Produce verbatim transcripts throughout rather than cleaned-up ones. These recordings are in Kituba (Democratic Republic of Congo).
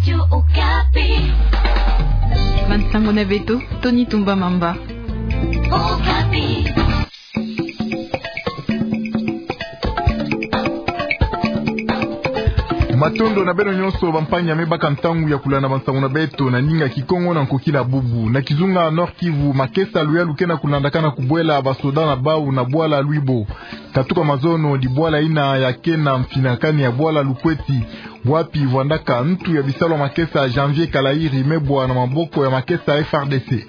Radio Okapi. Bansango na beto, Tony Tumba Mamba. Okapi. Matondo na beno nyonso, bampangi ya me baka ntangu ya kulanda bansango na beto na ndinga Kikongo na nkokila bubu. Na kizunga Nord Kivu, makesa luyalu ke na kulandakana kubwela basoda na bau na bwala Lwibo. Katuka mazono, di bwala ina ya ke na mfinakani ya bwala Lukweti, wapi vwandaka ntu ya bisalu ya makesa Janvier Kalairi me bwa na maboko ya makesa F R D C.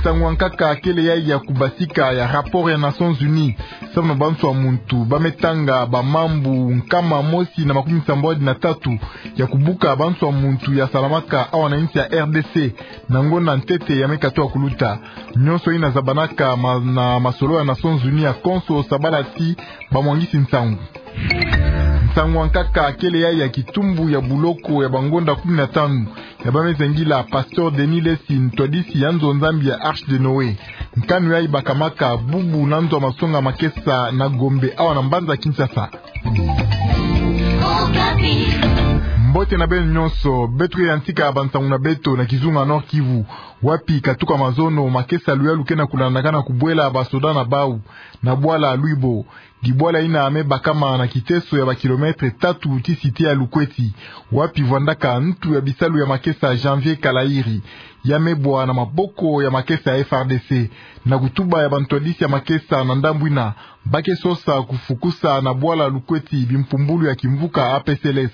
Nsangu ya nkaka kele yayi ya kubasika ya rapport ya Nations Unies samu na banswa muntu ba me tanga bamambu nkama mosi na makumi sambwadi na tatu ya kubuka banswa muntu ya salamaka awa na insi ya R D C na ngonda ntete ya me katuka kuluta. Nyonso ina zabanaka ma-, na masolo ya Nations Unies ya konso sabala ti bamwangisi nsangu. Nsangu ya nkaka kele yayi ya kitumbu ya buloko ya bangonda kumi na tanu ya ba me zengila Pasteur Denis Lessie, ntwadisi ya nzo Nzambi ya Arche de Noé. Nkanu yayi bakamaka bubu na nzo ya masonga makesa na Gombe awa na mbanza Kinshasa. Mbote na beno nyonso, beto ke yantika bansangu na beto na kizunga Nord Kivu, wapi katuka mazono makesa luyalu ke na kulandakana kubwela basoda na bau na bwala Lwibo. Di bwala ina me bakama na kiteso ya bakilometre tatu ti site ya Lukweti, wapi vwandaka ntu ya bisalu ya makesa Janvier Kalairi, ya me bwa na maboko ya makesa ya F R D C. Na kutuba ya bantwadisi ya makesa na ndambu ina, ba ke sosa kufukusa na bwala Lukweti bimpumbulu ya kimvuka A P C L S.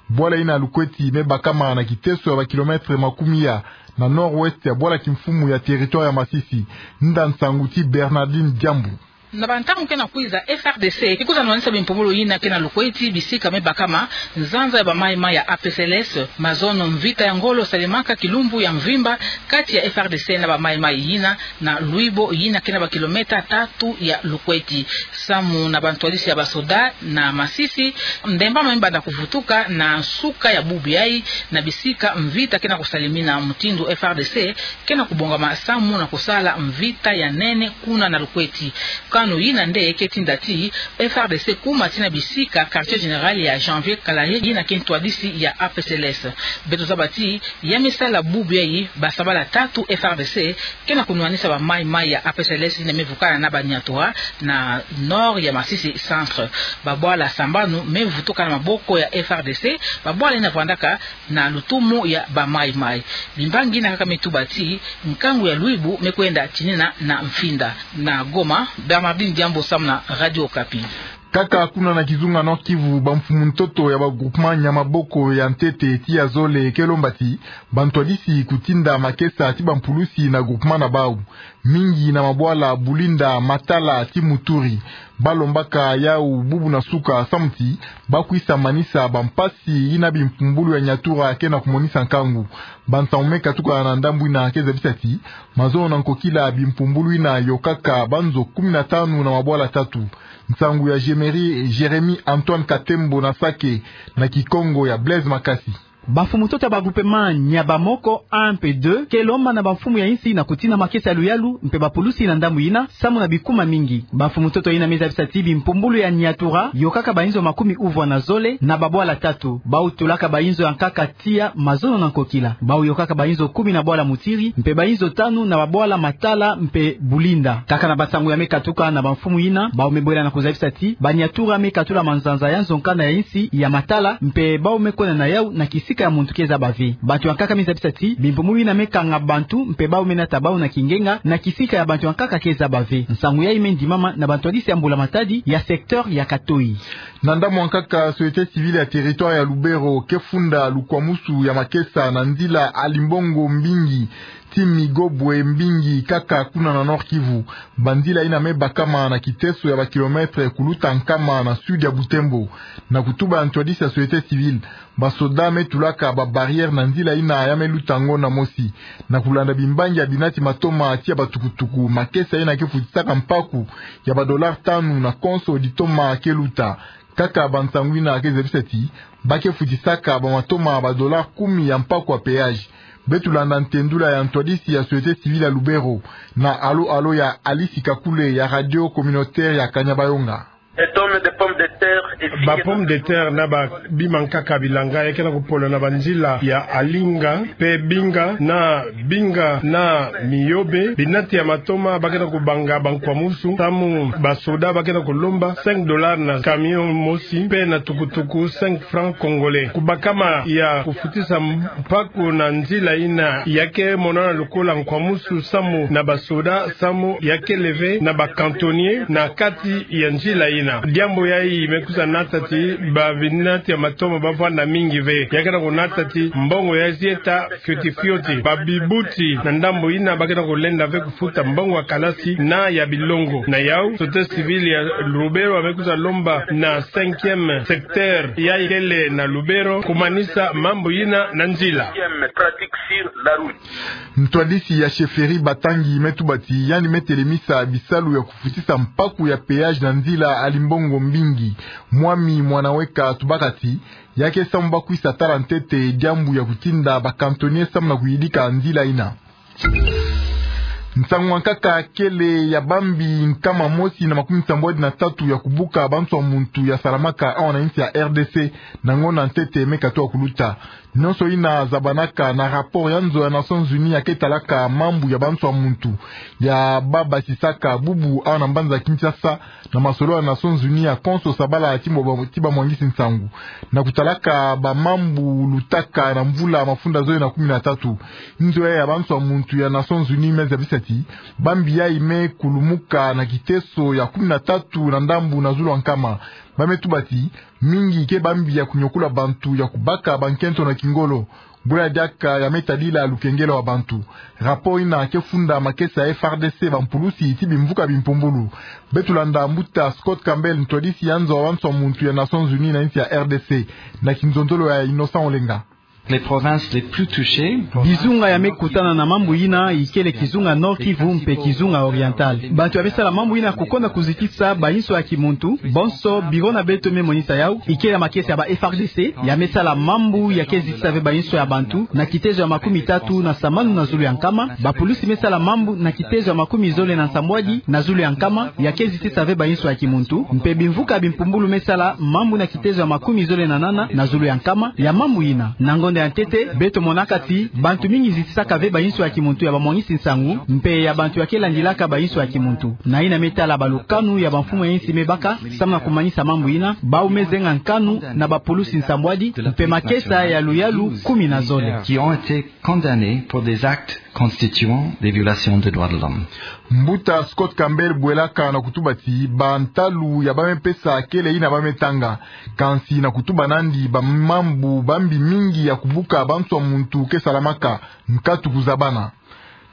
Bwala ina Lukweti me bakama na kiteso ya bakilometre makumi ya na nord-ouest ya bwala kimfumu ya territoire ya Masisi. Nda nsangu ti Bernardine Diambu. Na bantangu ke na kwiza, F R D C ke kwiza nwanisa bimpumbulu ina ke na Lukweti, bisika me bakama nzanza ya ba maï-maï ya A P C L S. Mazono, mvita ya ngolo salemaka kilumbu ya mvimba kati ya F R D C na ba maï-maï ina na Lwibo, ina ke na bakilometre tatu ya Lukweti. Samu na bantwadisi ya basoda na Masisi, ndemba me banda kuvutuka na nsuka ya bubu yayi, na bisika mvita ke na kusalemina, mutindu F R D C ke na kubongama samu na kusala mvita ya nene kuna na Lukweti. Kanu ina nde ke tinda ti F R D C kuma tii na bisika quartier général ya Janvier Kalairi, ina ke ntwadisi ya A P C L S. Beto zaba ti ya me sala bubu yayi, basabala tatu F R D C ke na kunwanisa ba maï-maï ya A P C L S ina me vukana na Baniatura na nord ya Masisi Centre. Babwala sambanu me vutuka na maboko ya F R D C, babwala ina vwandaka na lutumu ya ba maï-maï. Bimbangi ina kaka me tuba ti nkangu ya Lwibo me kwenda tinina na mfinda. Na Goma, Bernardine Diambu samu na Radio Okapi. Kaka kuna na kizunga Nord Kivu, bamfumu ntoto ya ba groupement nia maboko ya ntete ti ya zole ke lomba ti bantwadisi kutinda makesa ti bampulusi na groupement na bau, mingi na mabwala Bulinda, Matala ti Muturi. Ba lombaka yau bubu na suka samu ti ba kwisa manisa bampasi ina bimpumbulu ya Niatura ke na kumonisa nkangu. Bansangu me katuka na ndambu ina ke zabisa ti mazono na nkokila bimpumbulu ina yokaka banzo kumi na tanu na mabwala tatu. Nsangu ya Jérémie, Jérémie Antoine Katembo na Sake, na Kikongo ya Blaise Makasi. Bamfumu ntoto ya ba groupement nia bamoko un mpe deux ke lomba na bamfumu ya insi na kutina makesa ya luyalu mpe bapulusi na ndambu ina, samu na bikuma mingi. Bamfumu ntoto ina me zabisa ti bimpumbulu ya Niatura yokaka bainzo makumi uvwa na zole na babwala tatu. Bau tulaka bainzo ya nkaka tiya mazono na nkokila. Bau yokaka bainzo kumi na bwala Mutiri, mpe bainzo tanu na babwala Matala mpe Bulinda. Kaka na bansangu ya me katuka na bamfumu ina, bau me bwela na kuzabisa ti Baniatura me katula manzanza ya nzo nkanda ya insi ya Matala, mpe bau me kwenda na yau na kisika ya muntu ke zaba ve. Bantu ya nkaka me zabisa ti bimpumbulu ina me kanga bantu, mpe bau me nata bau na kingenga na kisika ya bantu ya nkaka ke zaba ve. Nsangu yayi me ndimama na bantwadisi ya mbula matadi ya secteur ya Katoyi. Na ndambu ya nkaka, société civile ya territoire ya Lubero ke funda lukwamusu ya makesa na nzila Alimbongo Mbingi ti Migobwe Mbingi, kaka kuna na Nord Kivu. Banzila ina me bakama na kiteso ya bakilometre kuluta nkama na sud ya Butembo. Na kutuba ya ntwadisi ya société civile, basoda me tulaka ba barrière na nzila ina ya me luta ngonda mosi. Na kulanda bimbangi ya binati matoma tiya batukutuku, makesa ina ke futisaka mpaku ya ba dollars tanu na konso ditoma ke luta. Kaka bansangu ina ke zabisa ti ba ke futisaka bamatoma ba dollars kumi ya mpaku ya péage. Beto landa ntendula ya ntwadisi ya société civile ya Lubero na alo-alo ya Alice Kakule ya radio communautaire ya Kanyabayonga. Des tonnes de pommes de terre Ba pomme de terre na ba bimankaka bilanga ya ke na kupolo na banzila ya Alinga, mpe Binga na Binga na Miyobe, binati ya matoma ba ke na kubanga bankwamusu, samu basoda ba ke na kulomba cinq dollars na camion mosi, mpe na tukutuku cinq francs congolais. Kubakama ya kufutisa mpaku na nzila ina ya ke monana lokola nkwamusu samu na basoda, samu ya ke leve na ba cantonniers na kati ya nzila ina. Diambu yayi me kwiza nata ti ba binati ya matoma ba vwanda mingi ve. Ya ke na kunata ti mbongo ya zieta fioti fioti. Ba bibuti na ndambu ina ba ke na kulenda ve kufuta mbongo ya kalasi na ya bilongo. Na yau, société civile ya Lubero me kwiza lomba na cinquième secteur yayi kele na Lubero kumanisa mambu ina na nzila. Ntwadisi ya chefferie Batangi me tuba ti yandi me telemisa bisalu ya kufutisa mpaku ya péage na nzila ali mbongo mbingi. Mwami Mwanaweka tubaka ti ya ke samu ba kwisa tala ntete diambu ya kutinda ba cantonniers samu na kuyidika nzila ina. Nsangu nkaka kele ya bambi nkama mosi na makumi nsambwadi na tatu ya kubuka banswa muntu ya salamaka awa na insi ya R D C na ngonda ntete me katuka kuluta. Nyonso ina zabanaka na rapport ya nzo ya Nations Unies ya ke talaka mambu ya banswa muntu ya ba basisaka bubu awa na mbanza Kinshasa, na masolo ya Nations Unies ya konso sabala ti ba, ti bamwangisi nsangu. Na kutalaka ba mambu lutaka na mvula mafunda zole na kumi na tatu, nzo ya banswa muntu ya Nations Unies me zabisa ti bambi yayi me kulumuka na kiteso ya kumi na tatu na ndambu na zulu ya nkama. Ba me tuba ti mingi ke bambi ya kunyokula bantu ya kubaka bankento na kingolo. Bula diaka ya me tadila lukengelo wa bantu. Rapport ina ke funda makesa ya F R D C, bampulusi ti bimvuka bimpumbulu. Beto landa mbuta Scott Campbell, ntwadisi ya nzo wa banswa muntu ya Nations Unies na insi ya R D C, na kinzonzolo ya Innocent Olenga. Les provinces les plus touchées. Bizunga ya me kutana na mambu ina ikele kizunga Nord-Kivu mpe kizunga Oriental. Bantu ya me sala mambu ina kukonda kuzitisa bayinswa ya kimuntu, bonso biro na beto me monisa yau, ikele makesa ya ba F R D C ya me sala mambu ya ke zitisa ve bayinswa ya bantu na kitezo ya makumi tatu na sambanu na zulu ya nkama. Bapulusi me sala mambu na kitezo ya makumi zole na nsambwadi na zulu ya nkama ya ke zitisa ve bayinswa ya kimuntu, mpe bimvuka bimpumbulu me sala mambu na kitezo ya makumi zole na nana na zulu ya nkama ya mambu ina. Na ngonda ya ntete, beto monaka ti bantu mingi zitisaka ve bayinswa ya kimuntu ya bamwangisi nsangu mpe ya bantu ya ke landilaka bayinswa ya kimuntu. Na ina me tala balukanu ya bamfumu ya insi me baka samu na kumanisa mambu ina, bau me zenga nkanu na bapulusi nsambwadi mpe makesa ya luyalu kumi na zole. Qui ont été condamnés pour des actes constituant des violations des droits de l'homme. Mbuta Scott Campbell bwelaka na kutuba ti bantalu ya ba me pesa kele ina ba me tanga, kansi na kutuba nandi ba mambu bambi mingi ya kubuka banswa muntu ke salamaka, nkatu kuzabana.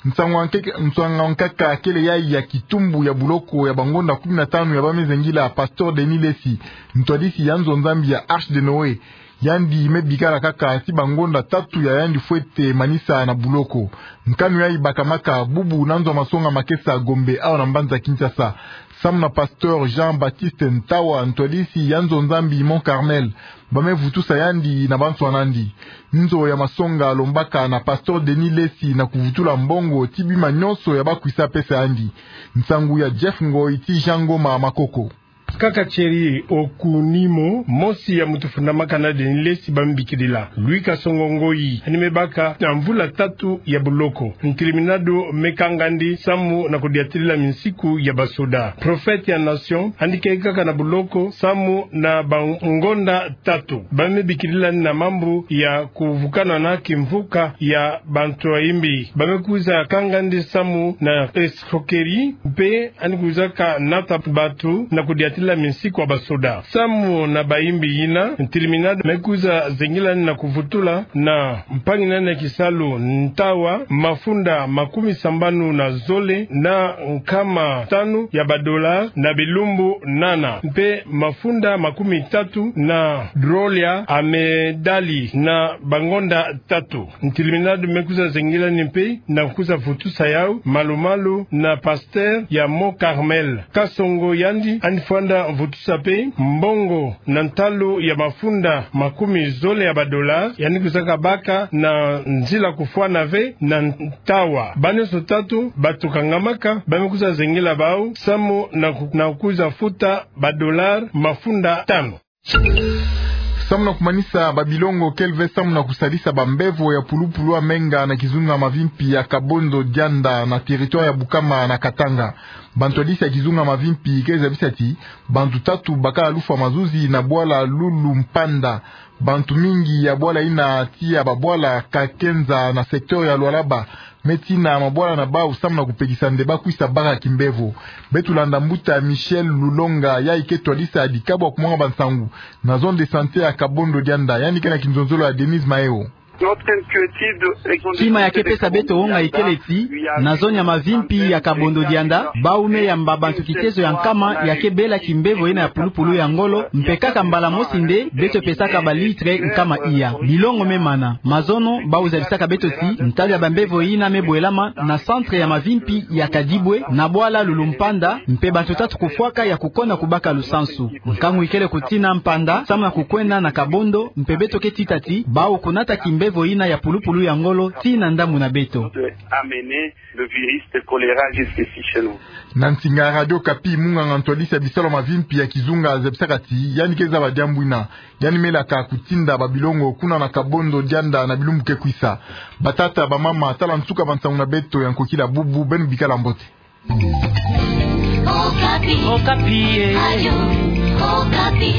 Nsangu nke-, nsangu nkaka kele yayi ya kitumbu ya buloko ya bangonda kumi na tanu ya ba me zengila Pasteur Denis Lessi, ntwadisi ya nzo Nzambi ya Arche de Noé. Yandi me bikala kaka ti bangonda tatu ya yandi fwete manisa na buloko. Nkanu yayi bakamaka bubu na nzo ya masonga makesa Gombe awa na mbanza Kinshasa. Samu na Pasteur Jean-Baptiste Ntawa, ntwadisi ya nzo Nzambi Mont Carmel, ba me vutusa yandi na banswa nandi. Nzo ya masonga lombaka na Pasteur Denis Lessi na kuvutula mbongo ti bima nyonso ya ba kwisa pesa yandi. Nsangu ya Jeff Ngoy ti Jean Ngoma Makoko. Kaka Thierry Okunimo, mosi ya mutu fundamaka na Denis Lessi, ba me bikidila. Louis Kasongo Ngoyi, yandi me baka na mvula tatu ya buloko. Ntirminado me kanga yandi samu na kudiatilila minsiku ya basoda. Prophète ya Nation, yandi ke kaka na buloko samu na bangonda tatu. Ba me bikidila yandi na mambu ya kuvukana na kimvuka ya bantu ya imbi. Ba me kwiza kanga yandi samu na escroquerie, mpe yandi kwizaka nata bantu na kudiatila minsiku ya basoda. Samu na bayimbi yina, ntirminado me kwiza zengila yandi na kuvutula na mpangi na yandi ya kisalu Ntawa mafunda makumi sambanu na zole na nkama tanu ya ba dollars na bilumbu nana, mpe mafunda makumi tatu na drôle ya medali na bangonda tatu. Ntirminado me kwiza zengila yandi mpe na kwiza vutusa yau malu-malu na pasteur ya Mont Carmel. Kasongo yandi, yandi fwanda vutusa mpe mbongo na ntalu ya mafunda makumi zole ya ba dollars, yandi kwizaka baka na nzila kufwana ve na Ntawa. Ba nyonso tatu bato kangamaka, ba me kwiza zengila bau samu na ku-, na kwiza futa ba dollars mafunda tanu. Samu na kumanisa babilongo kele ve samu na kusalisa bambevo ya pulupulu ya menga na kizunga mavimpi ya Kabondo Dianda na territoire ya Bukama na Katanga. Bantwadisi ya kizunga mavimpi ke zabisa ti bantu tatu bakala lufwa mazuzi na bwala Lulu Mpanda. Bantu mingi ya bwala yina tia babwala Kakenza na secteur ya Lualaba me tina mabwala na bau samu na kupekisa nde bakwisa baka kimbevo. Beto landa mbuta Michel Lulonga, yayi ke twadisa dikabwa kumwanga bansangu na zone de santé ya Kabondo Dianda. Yandi ke na kinzonzolo ya Denise Maeo. Kima ya ke pesa beto wonga ikele ti na zone ya mavimpi ya Kabondo Dianda, bau me yamba bantu kitezo ya nkama ya ke bela kimbevo yina ya pulupulu ya ngolo, mpe kaka mbala mosi nde beto pesaka ba litre nkama iya. Bilongo me mana. Mazono, bau zabisaka beto ti ntabi ya bambevo yina me bwelama na centre ya mavimpi ya Kadibwe, na bwala Lulu Mpanda, mpe bantu tatu kufwaka ya kukona kubaka lusansu. Nkangu ikele kutina Mpanda samu na kukwenda na Kabondo, mpe beto ke tita ti bau kunata kimbevo yina ya pulupulu ya ngolo tii na ndambu na beto. Le virus de choléra jusqu'ici chez nous. Na nsinga ya Radio Okapi, munganga ntwadisi ya bisalu ya mavimpi ya kizunga zabisaka ti yandi ke zaba diambu yina. Yandi melaka kutinda babilongo kuna na Kabondo Dianda na bilumbu ke kwisa. Batata, bamama, tala nsuka bansangu na beto ya nkokila bubu, beno bikala mbote. Okapi. Okapi, eh. Radio Okapi.